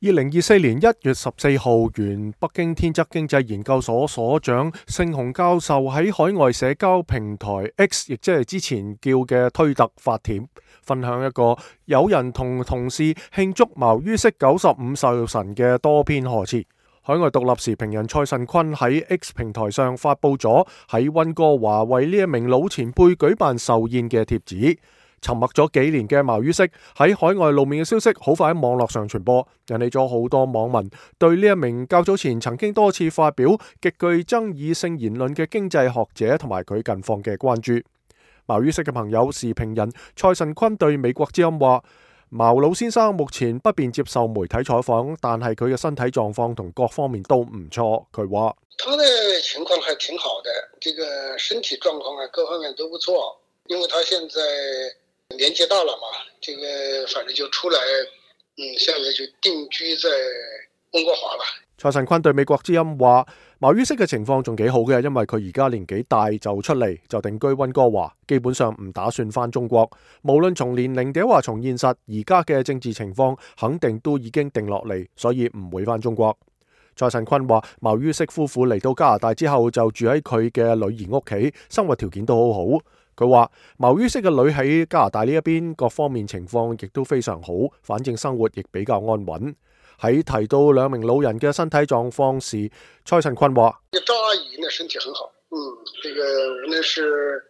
2024年1月14號，原北京天則經濟研究所所長盛雄教授喺海外社交平台 X， 亦即係之前叫嘅推特發帖，分享一個有人同同事慶祝毛于軾95壽辰嘅多篇賀詞。海外獨立時評人蔡慎坤喺 X 平台上發佈咗喺溫哥華為呢一名老前輩舉辦壽宴嘅帖子。沉默咗幾年嘅毛于軾喺海外露面嘅消息好快喺網絡上傳播，引起咗好多網民對呢一名較早前曾經多次發表極具爭議性言論嘅經濟學者同埋佢近況嘅關注。毛于軾嘅朋友時評人蔡慎坤對美國之音話：毛老先生目前不便接受媒體採訪，但係佢嘅身體狀況同各方面都唔錯。佢話：他的情況還挺好的，這個身體狀況啊，各方面都不錯，因為他現在年紀大了嘛，這個反正就出來，現在就定居在溫哥華了。蔡慎坤對美國之音話：毛于軾嘅情況仲幾好嘅，因為佢而家年紀大就出嚟就定居溫哥華，基本上唔打算返中國。無論從年齡定話從現實，而家嘅政治情況肯定都已經定落嚟，所以唔會返中國。蔡慎坤話：毛于軾夫婦嚟到加拿大之後就住喺佢嘅女兒屋企，生活條件都好好。佢話毛于軾嘅女喺加拿大呢一邊各方面情況亦都非常好，反正生活亦比較安穩。喺提到兩名老人嘅身體狀況時，蔡慎坤話：趙阿姨呢身體很好，這個無論是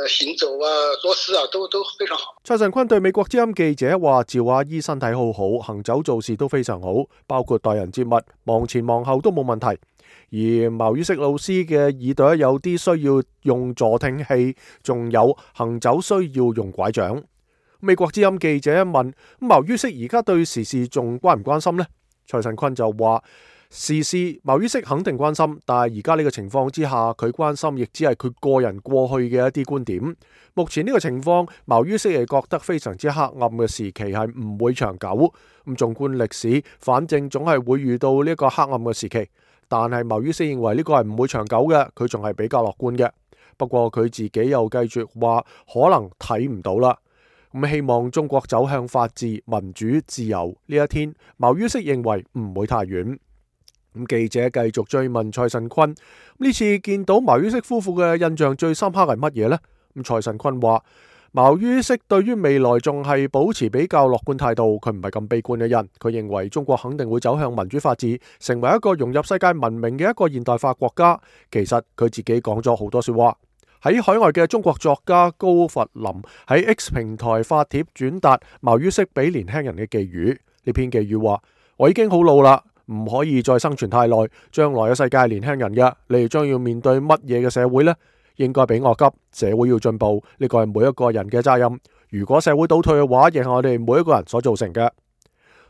行走啊、做事啊都非常好。蔡慎坤對美國之音記者話：趙阿姨身體好好，行走做事都非常好，包括待人接物，望前望後都冇問題。而毛于軾老師嘅耳朵有啲需要用助聽器，仲有行走需要用拐杖。美國之音記者問：毛于軾而家對時事仲關唔關心呢？蔡慎坤就話：時事毛于軾肯定關心，但係而家呢個情況之下，佢關心亦只係佢個人過去嘅一啲觀點。目前呢個情況，毛于軾係覺得非常之黑暗嘅時期係唔會長久。咁縱觀歷史，反正總係會遇到呢個黑暗嘅時期。但係毛于軾認為呢個係唔會長久嘅，佢仲係比較樂觀嘅。不過佢自己又繼續話可能睇唔到啦。咁希望中國走向法治、民主、自由呢一天，毛于軾認為唔會太遠。咁記者繼續追問蔡慎坤：呢次見到毛于軾夫婦嘅印象最深刻係乜嘢呢？咁蔡慎坤話：毛于軾對於未來仲係保持比較樂觀態度，佢唔係咁悲觀嘅人。佢認為中國肯定會走向民主法治，成為一個融入世界文明嘅一個現代化國家。其實佢自己講咗好多說話。喺海外嘅中國作家高佛林喺 X 平台發帖轉達毛于軾俾年輕人嘅寄語。呢篇寄語話：我已經好老啦，唔可以再生存太耐，將來嘅世界係年輕人嘅，你哋將要面對乜嘢嘅社會呢？應該比我急，社會要進步，呢個係每一個人嘅責任。如果社會倒退嘅話，亦係我哋每一個人所造成嘅。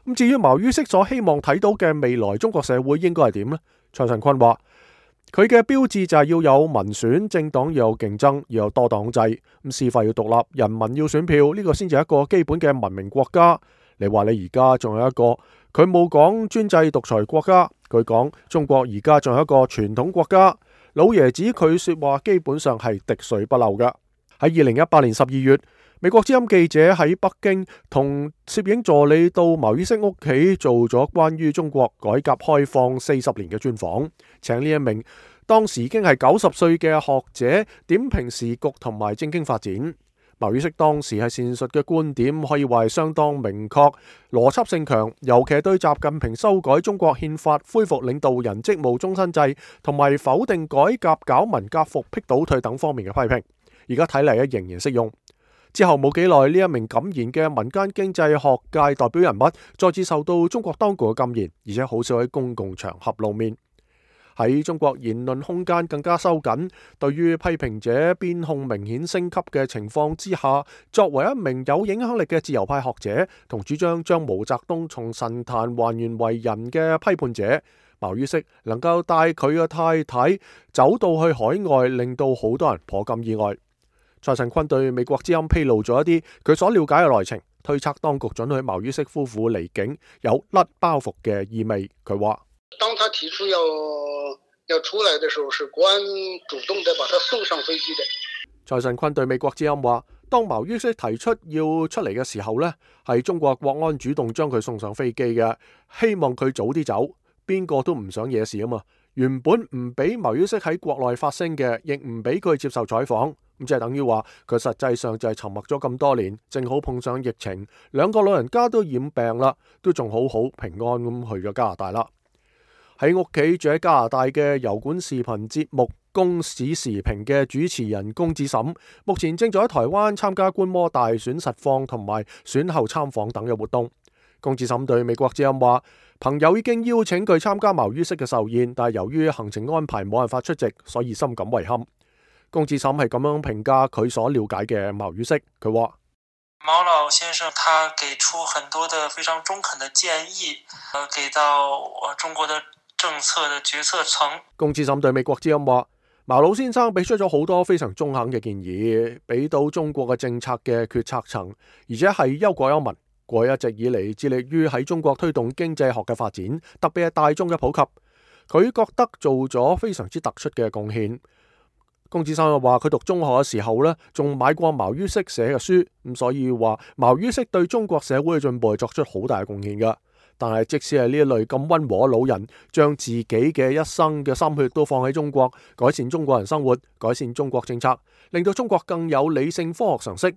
咁至於毛于軾所希望睇到嘅未來中國社會應該係點呢？蔡慎坤話：佢嘅標誌就係要有民選，政黨要有競爭，要有多黨制，咁司法要獨立，人民要選票，呢個先至係一個基本嘅文明國家。你話你而家仲有一個，佢冇講專制獨裁國家，佢講中國而家仲有一個傳統國家。老爺子佢說話基本上係滴水不漏㗎。喺2018年12月，美國之音記者喺北京同攝影助理到毛于軾屋企做咗關於中國改革開放40年嘅專訪，請呢一名當時已經係90歲嘅學者點評時局同埋政經發展。毛于軾當時係闡述嘅觀點可以話係相當明確，邏輯性強，尤其係對習近平修改中國憲法、恢復領導人職務終身制同埋否定改革搞文革復辟倒退等方面嘅批評，而家睇嚟仍然適用。之後冇幾耐，呢一名敢言嘅民間經濟學界代表人物再次受到中國當局嘅禁言，而且好少喺公共場合露面。喺中國言論空間更加收緊，對於批評者邊控明顯升級嘅情況之下，作為一名有影響力嘅自由派學者同主張將毛澤東從神壇還原為人嘅批判者，毛于軾能夠帶佢嘅太太走到去海外，令到好多人頗感意外。蔡慎坤對美國之音披露咗一啲佢所了解嘅內情，推測當局准許毛于軾夫婦離境有甩包袱嘅意味。佢話：當他提出要出來的時候，是國安主動的把他送上飛機的。蔡慎坤對美國之音話：當茅于軾提出要出嚟嘅時候呢，係中國國安主動將佢送上飛機嘅，希望佢早啲走。邊個都唔想惹事啊嘛。原本唔俾茅于軾喺國內發聲嘅，亦唔俾佢接受採訪，咁即係等於話佢實際上就係沉默咗咁多年，正好碰上疫情，兩個老人家都染病啦，都仲好好平安咁去咗加拿大啦。喺屋企住喺加拿大嘅油管視頻節目《公史時評》嘅主持人龔志審，目前正在喺台灣參加觀摩大選實況同埋選後參訪等嘅活動。龔志審對美國之音話，朋友已經邀請佢參加茅于軾嘅壽宴，但係由於行程安排冇辦法出席，所以深感遺憾。龔志審係咁樣評價佢所了解嘅茅于軾，佢話：毛老先生他給出很多的非常中肯的建議，給到中國的政策的決策層。龔志審對美國之音話，茅老先生俾出咗好多非常中肯嘅建議，俾到中國嘅政策嘅決策層，而且係憂國憂民。過一直以嚟致力於喺中國推動經濟學嘅發展，特別係大眾嘅普及，佢覺得做咗非常之突出嘅貢獻。龔志審又話，佢讀中學嘅時候呢，仲買過茅于軾寫嘅書，咁所以話茅于軾對中國社會嘅進步係作出好大嘅貢獻㗎。但係即使係呢一類咁溫和嘅老人，將自己嘅一生嘅心血都放喺中國，改善中國人生活，改善中國政策，令到中國更有理性科學常識，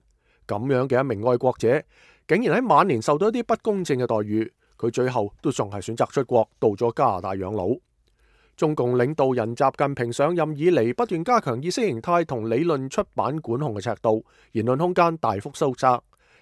咁樣嘅一名愛國者，竟然喺晚年受到一啲不公正嘅待遇，佢最後都仲係選擇出國，到咗加拿大養老。中共領導人習近平上任以嚟，不斷加強意識形態同理論出版管控嘅尺度，言論空間大幅收窄。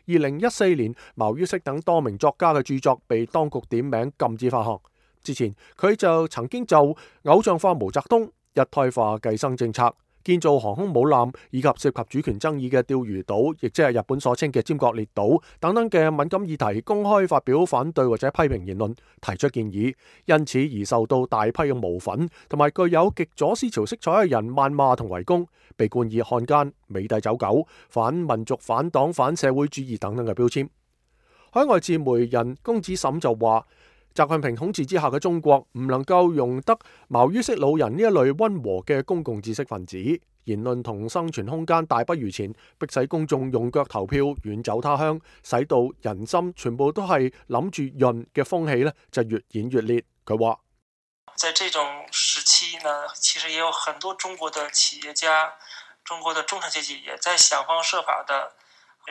2014年，茅于軾等多名作家嘅著作被當局點名禁止發行。之前佢就曾經就偶像化毛澤東、一胎化計生政策、建造航空母艦以及涉及主權爭議嘅釣魚島，亦即係日本所稱嘅尖閣列島等等嘅敏感議題，公開發表反對或者批評言論，提出建議，因此而受到大批嘅毛粉同埋具有極左思潮色彩嘅人謾罵同圍攻，被冠以漢奸、美帝走狗、反民族、反黨、反社會主義等等嘅標籤。海外自媒人龔志審就話，習近平統治之下嘅中國唔能夠容得茅于軾老人呢一類溫和嘅公共知識分子，言論同生存空間大不如前，迫使公眾用腳投票遠走他鄉，使到人心全部都係諗住潤嘅風氣呢就越演越烈。佢話：在這種時期呢，其實也有很多中國的企業家、中國的中產階級也在想方設法的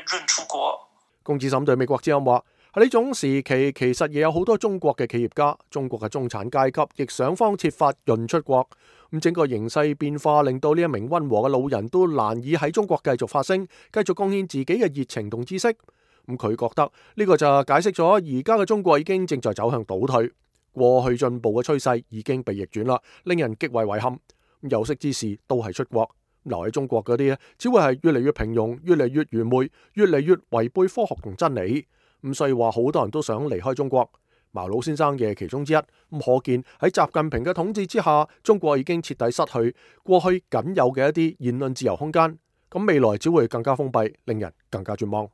潤出國。龔志審對美國之音話：喺呢種時期，其實亦有好多中國嘅企業家、中國嘅中產階級，亦想方設法潤出國。咁整個形勢變化，令到呢一名溫和嘅老人都難以喺中國繼續發聲，繼續貢獻自己嘅熱情同知識。咁佢覺得呢個就解釋咗而家嘅中國已經正在走向倒退，過去進步嘅趨勢已經被逆轉啦，令人極為遺憾。有識之士都係出國，留喺中國嗰啲只會係越嚟越平庸、越嚟越愚昧、越嚟越違背科學同真理。咁所以話好多人都想離開中國，茅老先生嘅其中之一。咁可見喺習近平嘅統治之下，中國已經徹底失去過去僅有嘅一啲言論自由空間。咁未來只會更加封閉，令人更加絕望。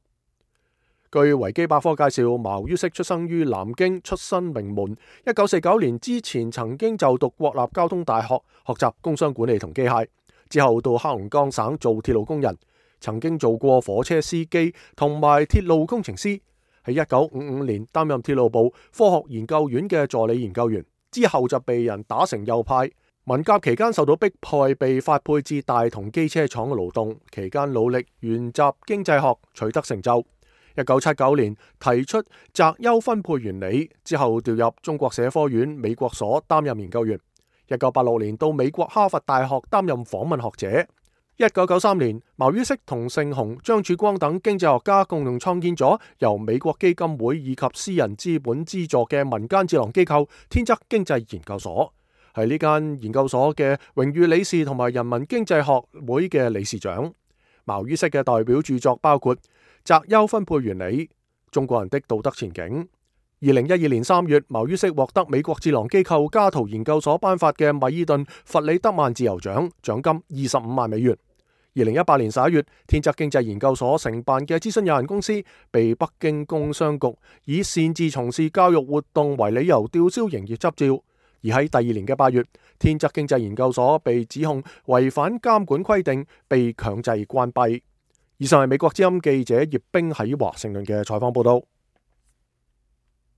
據維基百科介紹，茅于軾出生於南京，出身名門。1949年之前曾經就讀國立交通大學，學習工商管理同機械。之後到黑龍江省做鐵路工人，曾經做過火車司機同埋鐵路工程師。喺1955年擔任鐵路部科學研究院嘅助理研究員，之後就被人打成右派。文革期間受到迫害，被發配至大同機車廠嘅勞動，期間努力研習經濟學，取得成就。1979年提出擇優分配原理，之後調入中國社科院美國所擔任研究員。1986年到美國哈佛大學擔任訪問學者。1993年，茅于軾同盛雄、張曙光等經濟學家共同創建咗由美國基金會以及私人資本資助嘅民間智囊機構天則經濟研究所，係呢間研究所嘅榮譽理事同埋人民經濟學會嘅理事長。茅于軾嘅代表著作包括《擇優分配原理》、《中國人的道德前景》。2012年3月，茅于軾獲得美國智囊機構加圖研究所頒發嘅米爾頓弗里德曼自由獎，獎金25萬美元。2018年11月，天則經濟研究所承辦嘅諮詢有限公司被北京工商局以擅自從事教育活動為理由吊銷營業執照。而喺第二年嘅8月，天則經濟研究所被指控違反監管規定，被強制關閉。以上係美國之音記者葉冰喺華盛頓嘅採訪報道。